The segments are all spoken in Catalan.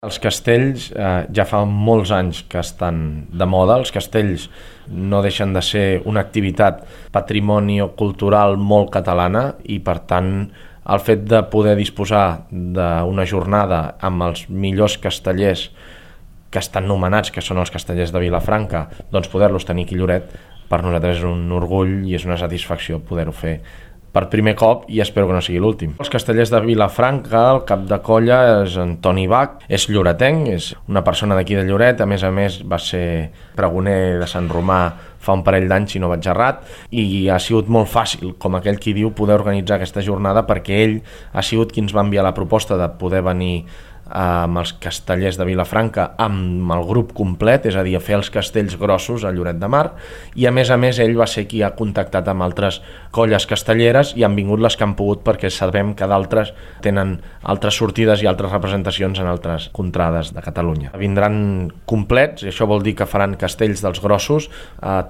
Els castells ja fa molts anys que estan de moda. Els castells no deixen de ser una activitat patrimoni cultural molt catalana i, per tant, el fet de poder disposar d'una jornada amb els millors castellers que estan nomenats, que són els castellers de Vilafranca, doncs poder-los tenir aquí a Lloret, per nosaltres és un orgull i és una satisfacció poder-ho fer per primer cop i espero que no sigui l'últim. Els castellers de Vilafranca, el cap de colla és Antoni Bach, és lloretenc, és una persona d'aquí de Lloret, a més va ser pregoner de Sant Romà fa un parell d'anys, si no vaig errat, i ha sigut molt fàcil, com aquell qui diu, poder organitzar aquesta jornada perquè ell ha sigut qui ens va enviar la proposta de poder venir amb els castellers de Vilafranca amb el grup complet, és a dir, a fer els castells grossos a Lloret de Mar, i a més ell va ser qui ha contactat amb altres colles castelleres i han vingut les que han pogut, perquè sabem que d'altres tenen altres sortides i altres representacions en altres contrades de Catalunya. Vindran complets, i això vol dir que faran castells dels grossos,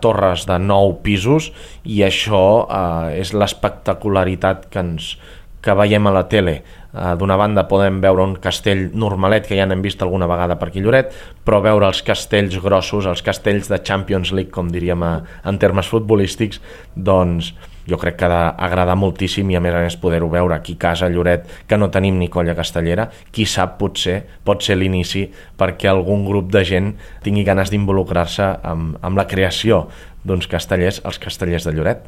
torres de 9 pisos, i això és l'espectacularitat que veiem a la tele. D'una banda podem veure un castell normalet que ja n'hem vist alguna vegada per aquí a Lloret, però veure els castells grossos, els castells de Champions League, com diríem en termes futbolístics, doncs jo crec que ha d'agradar moltíssim, i a més poder-ho veure aquí a casa a Lloret, que no tenim ni colla castellera. Qui sap, potser pot ser l'inici perquè algun grup de gent tingui ganes d'involucrar-se amb la creació d'uns castellers, els castellers de Lloret.